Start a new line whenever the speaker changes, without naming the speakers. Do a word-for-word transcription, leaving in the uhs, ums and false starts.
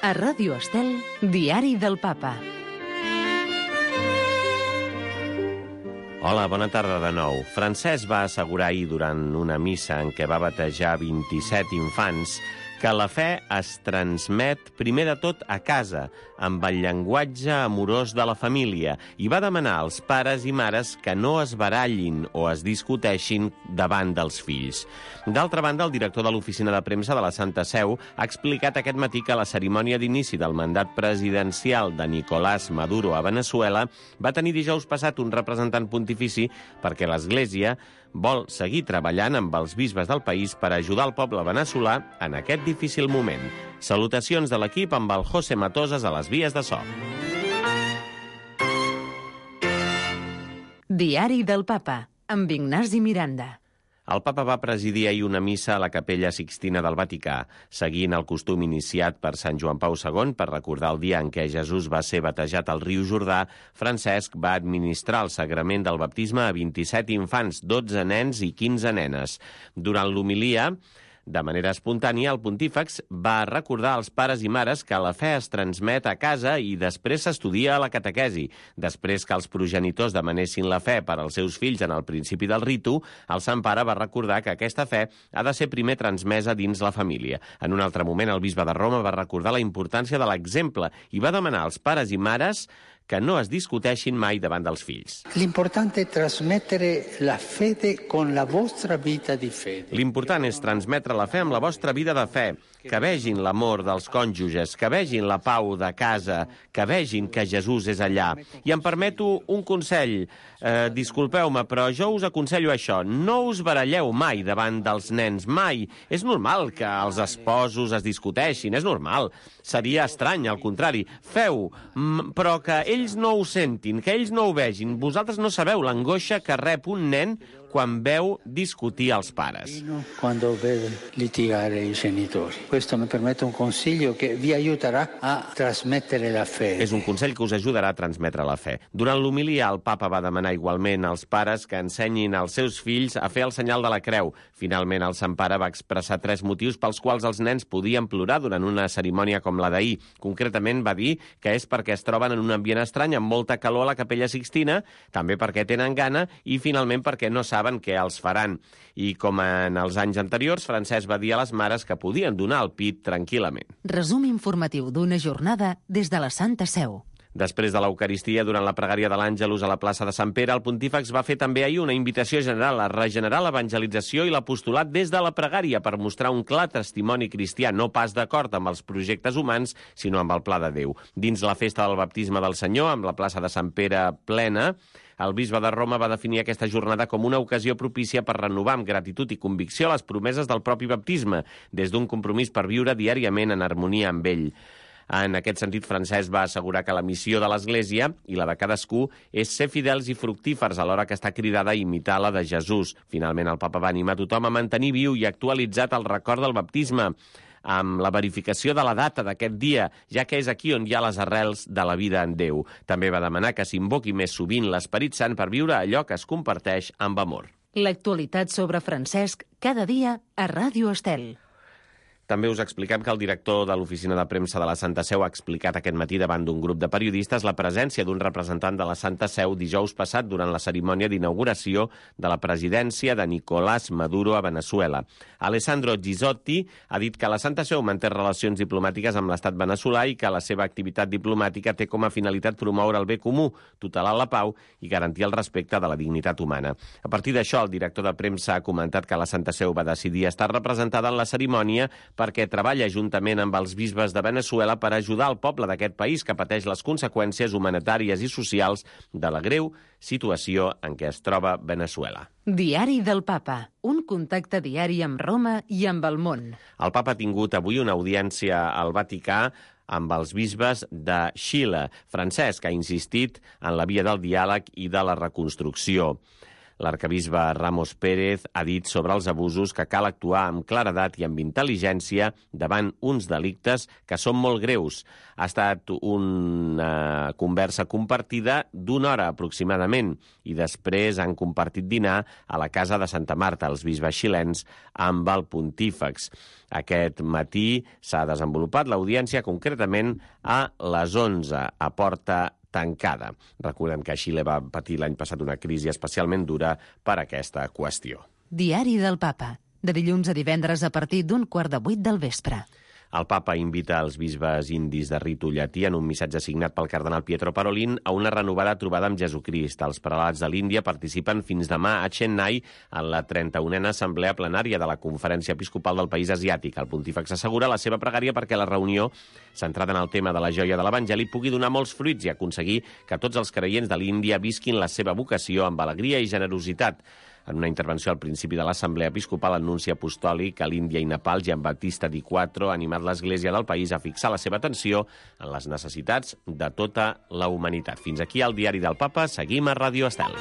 A Ràdio Estel, Diari del Papa.
Hola, bona tarda de nou. Francesc va assegurar ahir durant una missa en què va batejar vint-i-set infants que la fe es transmet primer de tot a casa, amb el llenguatge amorós de la família, i va demanar als pares i mares que no es barallin o es discuteixin davant dels fills. D'altra banda, el director de l'oficina de premsa de la Santa Seu ha explicat aquest matí que la cerimònia d'inici del mandat presidencial de Nicolás Maduro a Veneçuela va tenir dijous passat un representant pontifici perquè l'Església vol seguir treballant amb els bisbes del país per ajudar el poble veneçolà en aquest difícil moment. Salutacions de l'equip amb el José Matosas a les vies de so.
Diari del Papa, amb Ignasi Miranda.
El papa va presidir ahir una missa a la Capella Sixtina del Vaticà, seguint el costum iniciat per Sant Joan Pau segon per recordar el dia en què Jesús va ser batejat al riu Jordà. Francesc va administrar el sagrament del baptisme a vint-i-set infants, dotze nens i quinze nenes. Durant l'homilia, de manera espontània, el pontífex va recordar als pares i mares que la fe es transmet a casa i després s'estudia a la catequesi. Després que els progenitors demanessin la fe per als seus fills en el principi del ritu, el Sant Pare va recordar que aquesta fe ha de ser primer transmesa dins la família. En un altre moment, el bisbe de Roma va recordar la importància de l'exemple i va demanar als pares i mares que no es discuteixin mai davant dels fills.
L'importante è trasmettere la fede con la vostra vita di fede.
L'important és transmetre la fe amb la vostra vida de fe, que vegin l'amor dels cònjuges, que vegin la pau de casa, que vegin que Jesús és allà. I em permeto un consell. Eh, disculpeu-me, però jo us aconsello això. No us baralleu mai davant dels nens, mai. És normal que els esposos es discuteixin, és normal. Seria estrany, al contrari. Feu, però que ells no ho sentin, que ells no ho vegin. Vosaltres no sabeu l'angoixa que rep un nen quan veu discutir els pares.
Quando vede litigare i genitori. Questo mi permette un consiglio che vi aiuterà a trasmettere la fe.
És un consell que us ajudarà a transmetre la fe. Durant l'homilia, el papa va demanar igualment als pares que ensenyin als seus fills a fer el senyal de la creu. Finalment, el Sant Pare va expressar tres motius pels quals els nens podien plorar durant una cerimònia com la d'ahir. Concretament va dir que és perquè es troben en un ambient estrany amb molta calor a la Capella Sixtina, també perquè tenen gana i finalment perquè no saben què els faran. I com en els anys anteriors, Francesc va dir a les mares que podien donar el pit tranquil·lament.
Resum informatiu d'una jornada des de la Santa Seu.
Després de l'Eucaristia, durant la pregària de l'Àngelus a la plaça de Sant Pere, el pontífex va fer també ahir una invitació general a regenerar l'evangelització i l'apostolat des de la pregària per mostrar un clar testimoni cristià, no pas d'acord amb els projectes humans, sinó amb el pla de Déu. Dins la festa del baptisme del Senyor, amb la plaça de Sant Pere plena, el bisbe de Roma va definir aquesta jornada com una ocasió propícia per renovar amb gratitud i convicció les promeses del propi baptisme, des d'un compromís per viure diàriament en harmonia amb ell. En aquest sentit, Francesc va assegurar que la missió de l'Església i la de cadascú és ser fidels i fructífers alhora que està cridada a imitar la de Jesús. Finalment, el papa va animar tothom a mantenir viu i actualitzat el record del baptisme, amb la verificació de la data d'aquest dia, ja que és aquí on hi ha les arrels de la vida en Déu. També va demanar que s'invoqui més sovint l'Esperit Sant per viure allò que es comparteix amb amor.
L'actualitat sobre Francesc, cada dia a Ràdio Estel.
També us expliquem que el director de l'oficina de premsa de la Santa Seu ha explicat aquest matí davant d'un grup de periodistes la presència d'un representant de la Santa Seu dijous passat durant la cerimònia d'inauguració de la presidència de Nicolás Maduro a Veneçuela. Alessandro Gisotti ha dit que la Santa Seu manté relacions diplomàtiques amb l'estat veneçolà i que la seva activitat diplomàtica té com a finalitat promoure el bé comú, tutelar la pau i garantir el respecte de la dignitat humana. A partir d'això, el director de premsa ha comentat que la Santa Seu va decidir estar representada en la cerimònia perquè treballa juntament amb els bisbes de Veneçuela per ajudar el poble d'aquest país que pateix les conseqüències humanitàries i socials de la greu situació en què es troba Veneçuela.
Diari del Papa, un contacte diari amb Roma i amb el món.
El Papa ha tingut avui una audiència al Vaticà amb els bisbes de Xile. Francesc ha insistit en la via del diàleg i de la reconstrucció. L'arcabisbe Ramos Pérez ha dit sobre els abusos que cal actuar amb claredat i amb intel·ligència davant uns delictes que són molt greus. Ha estat una conversa compartida d'una hora aproximadament i després han compartit dinar a la casa de Santa Marta, els bisbes xilens, amb el pontífex. Aquest matí s'ha desenvolupat l'audiència concretament a les onze, a porta tancada. Recordem que Xile va patir l'any passat una crisi especialment dura per aquesta qüestió.
Diari del Papa, de dilluns a divendres a partir d'un quart de vuit del vespre.
El papa invita els bisbes indis de ritu llatí en un missatge signat pel cardenal Pietro Parolin a una renovada trobada amb Jesucrist. Els prelats de l'Índia participen fins demà a Chennai en la trenta-unena assemblea plenària de la Conferència Episcopal del país asiàtic. El pontífex assegura la seva pregària perquè la reunió, centrada en el tema de la joia de l'Evangeli, pugui donar molts fruits i aconseguir que tots els creients de l'Índia visquin la seva vocació amb alegria i generositat. En una intervenció al principi de l'Assemblea Episcopal, el nunci apostòlic a l'Índia i Nepal, Giambattista Di Quattro, ha animat l'Església del país a fixar la seva atenció en les necessitats de tota la humanitat. Fins aquí el Diari del Papa. Seguim a Ràdio Estel.